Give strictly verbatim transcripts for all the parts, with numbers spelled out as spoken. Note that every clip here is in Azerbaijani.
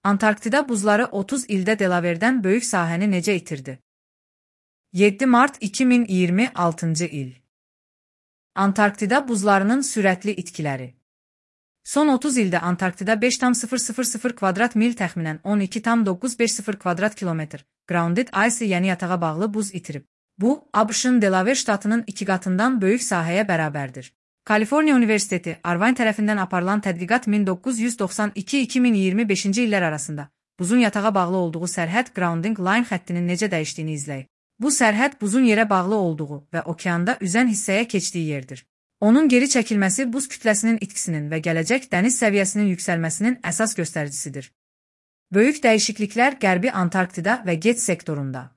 Antarktida buzları otuz ildə Delaware'dən böyük sahəni necə itirdi? yeddi mart iki min iyirmi altıncı il. Antarktida buzlarının sürətli itkiləri. Son otuz ildə Antarktida beş tam sıfır sıfır sıfır kvadrat mil təxminən on iki tam doqquz yüz beş sıfır kvadrat kilometr grounded ice yəni yatağa bağlı buz itirib. Bu, ABŞ-ın Delaware ştatının iki qatından böyük sahəyə bərabərdir. Kaliforniya Universiteti, Irvine tərəfindən aparılan tədqiqat min doqquz yüz doxsan iki iki min iyirmi beşinci illər arasında buzun yatağa bağlı olduğu sərhəd grounding line xəttinin necə dəyişdiyini izləyib. Bu sərhəd buzun yerə bağlı olduğu və okeanda üzən hissəyə keçdiyi yerdir. Onun geri çəkilməsi buz kütləsinin itkisinin və gələcək dəniz səviyyəsinin yüksəlməsinin əsas göstəricisidir. Böyük dəyişikliklər Qərbi Antarktida və Get sektorunda.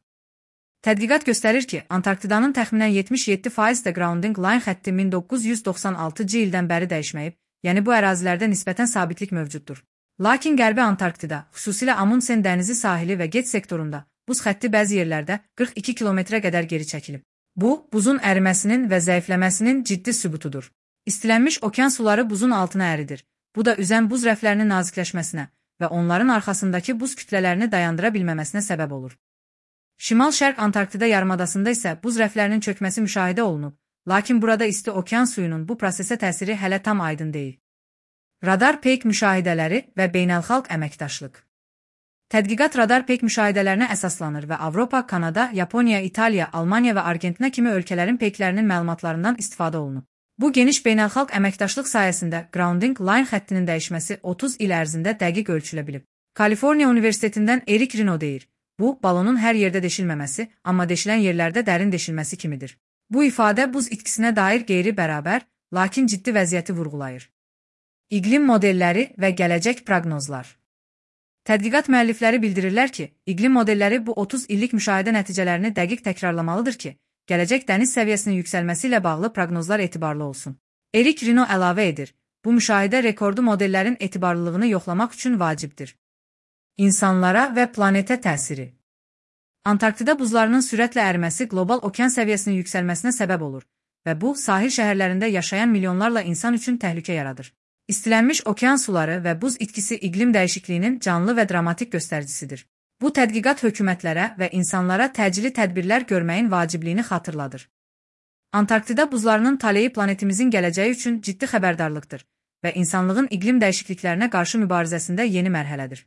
Tədqiqat göstərir ki, Antarktidanın təxminən yetmiş yeddi faiz də grounding line xətti min doqquz yüz doxsan altıncı ildən bəri dəyişməyib, yəni bu ərazilərdə nisbətən sabitlik mövcuddur. Lakin Qərbi Antarktida, xüsusilə Amundsen dənizi sahili və Get sektorunda, buz xətti bəzi yerlərdə qırx iki kilometrə qədər geri çəkilib. Bu, buzun əriməsinin və zəifləməsinin ciddi sübutudur. İstilənmiş okean suları buzun altına əridir. Bu da üzən buz rəflərinin nazikləşməsinə və onların arxasındakı buz kütlələrini dayandıra bilməməsinə səbəb olur. Şimal-Şərq Antarktida yarımadasında isə buz rəflərinin çökməsi müşahidə olunub, lakin burada isti okean suyunun bu prosesə təsiri hələ tam aydın deyil. Radar peyk müşahidələri və beynəlxalq əməkdaşlıq. Tədqiqat radar peyk müşahidələrinə əsaslanır və Avropa, Kanada, Yaponiya, İtaliya, Almaniya və Argentina kimi ölkələrin peyklərinin məlumatlarından istifadə olunub. Bu geniş beynəlxalq əməkdaşlıq sayəsində grounding line xəttinin dəyişməsi otuz il ərzində dəqiq ölçülə bilib. Kaliforniya Universitetindən Erik Rino deyir. Bu, balonun hər yerdə deşilməməsi, amma deşilən yerlərdə dərin deşilməsi kimidir. Bu ifadə buz itkisinə dair qeyri-bərabər, lakin ciddi vəziyyəti vurğulayır. İqlim modelləri və gələcək proqnozlar. Tədqiqat müəllifləri bildirirlər ki, iqlim modelləri bu otuz illik müşahidə nəticələrini dəqiq təkrarlamalıdır ki, gələcək dəniz səviyyəsinin yüksəlməsi ilə bağlı proqnozlar etibarlı olsun. Erik Rino əlavə edir, bu müşahidə rekordu modellərin etibarlılığını yoxlamaq üçün vacibdir. İnsanlara və planetə təsiri. Antarktida buzlarının sürətlə əriməsi qlobal okean səviyyəsinin yüksəlməsinə səbəb olur və bu, sahil şəhərlərində yaşayan milyonlarla insan üçün təhlükə yaradır. İstilənmiş okean suları və buz itkisi iqlim dəyişikliyinin canlı və dramatik göstəricisidir. Bu tədqiqat hökumətlərə və insanlara təcili tədbirlər görməyin vacibliyini xatırladır. Antarktida buzlarının taleyi planetimizin gələcəyi üçün ciddi xəbərdarlıqdır və insanlığın iqlim dəyişikliklərinə qarşı mübarizəsində yeni mərhələdir.